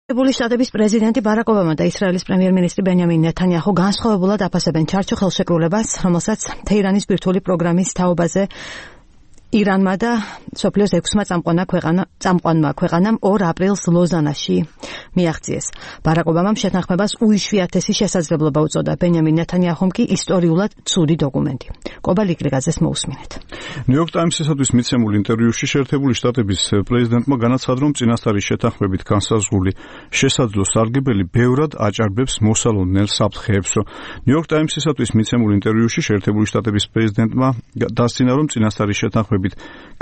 შტატების პრეზიდენტი ბარაკ ობამა და ისრაელის პრემიერ-მინისტრი ბენიამინ ნეთანიაჰუ განსხვავებულად აფასებენ ჩარჩო ხელშეკრულებას, რომელსაც თეირანის ბირთვული პროგრამის თაობაზე ირანმა და სოფლიოს 6-მა წამყვანმა ქვეყანამ 2 აპრილს ლოზანაში მიაღწიეს. ბარაკ ობამამ შეთანხმებას უიშვიათესი შესაძლებლობა უწოდა. ბენიამინ ნეთანიაჰუმ კი ისტორიულად ცუდი დოკუმენტი. კობა ლიკლიგაძეს მოусმინეთ. ნიუ-იორკ ტაიმსისათვის მიცემულ ინტერვიუში შეერთებული შტატების პრეზიდენტმა განაცხადა, რომ წინასწარი შეთანხმებით განსაზღვრული შესაძლო სარგებელი ბევრად აჭარბებს მოსალოდნელ საფრთხეებსო. ნიუ-იორკ ტაიმსისათვის მიცემულ ინტერვიუში შეერთებული შტატების პრეზიდენტმა დასცინა, რომ წინასწარი შეთანხმებით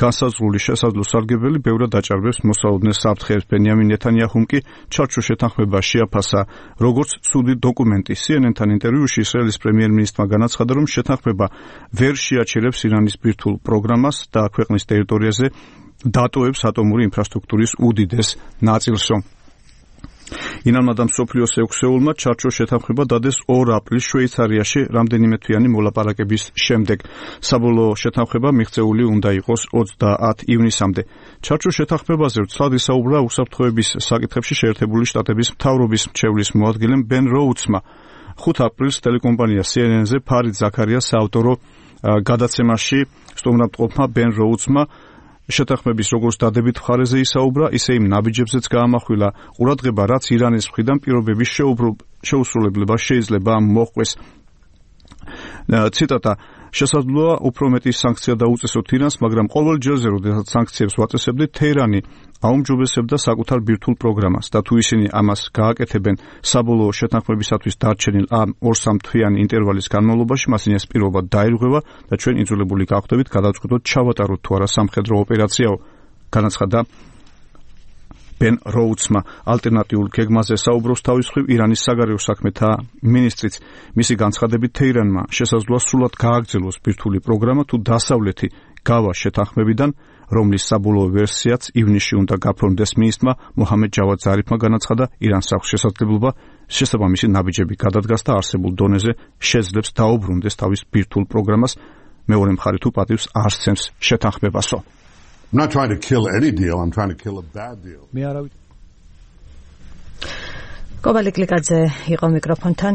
განსაზღვრული შესაძლო სარგებელი ბევრად აჭარბებს მოსალოდნელ საფრთხეებს. ბენიამინ ნეთანიაჰუმ კი ჩარჩო შეთანხმება შეაფასა როგორც ცუდი დოკუმენტი. CNN-თან ინტერვიუში ისრაელის პრემიერ-მინისტრმა განაცხადა, რომ შეთანხმება ვერ შეაჩერებს ირანის ბირთვულ პროგრამას და ქვეყნის ტერიტორიაზე დატოვებს ატომური ინფრასტრუქტურის უდიდეს ნაწილსო. ირანმა და მსოფლიოს 6-ეულმა ჩარჩო შეთანხმება დადეს 2 აპრილს შვეიცარიაში რამდენიმე თვიანი მოლაპარაკების შემდეგ. საბოლოო შეთანხმება მიღწეული უნდა იყოს 30 ივნისამდე. ჩარჩო შეთანხმებაზე ვრცლად ისაუბრა უსაფრთხოების საკითხებში შეერთებული შტატების მთავრობის მრჩევლის მოადგილემ ბენ როუცმა. 5 აპრილს ტელეკომპანია CNN-ზე ფარიდ ზაქარიას საავტორო გადაცემაში სტუმრობთყოფმა ბენ როუცმა შეთანხმების როგორც დადებით მხარეზე ისაუბრა, ისე იმ ნაბიჯებზეც გაამახვილა ყურადღება, რაც ირანის მხრიდან პირობების შეუსრულებლება შეიძლება მოჰყვეს. ციტატა: შესაძლოა უფრო მეტი სანქცია დაუწესოთ ირანს, მაგრამ ყოველ ჯერზე, როდესაც სანქციებს ვაწესებდით, თეირანი აუმჯობესებდა საკუთარ ბირთვულ პროგრამას და თუ ისინი ამას გააკეთებენ საბოლოო შეთანხმებისათვის დარჩენილ ამ 2-3 თვიანი ინტერვალის განმავლობაში, მას ეს პირობა დაირღვევა და ჩვენ იძულებული გავხდებით გადავწყვიტოთ ჩავატაროთ თუ არა სამხედრო ოპერაციაო, განაცხადა ბენ როუცმა. ალტერნატიულ გეგმაზე საუბრობს თავის მხრივ ირანის საგარეო საქმეთა მინისტრიც. მისი განცხადებით თეირანმა შესაძლოა სრულად გააგრძელოს ბირთვული პროგრამა, თუ დასავლეთი გავა შეთანხმებიდან, რომლის საბოლოო ვერსიაც ივნისში უნდა გაფორმდეს. მინისტრმა მოჰამედ ჯავად ზარიფმა განაცხადა, ირანს აქვს შესაძლებლობა შესაბამისი ნაბიჯები გადადგას და არსებულ დონეზე შეძლებს დაუბრუნდეს თავის ბირთვულ პროგრამას. მეორე მხარე თუ პატივს არ სცემს შეთანხმებასო. I'm not trying to kill any deal, I'm trying to kill a bad deal. კობა ლიკლიგაძე იყო მიკროფონთან.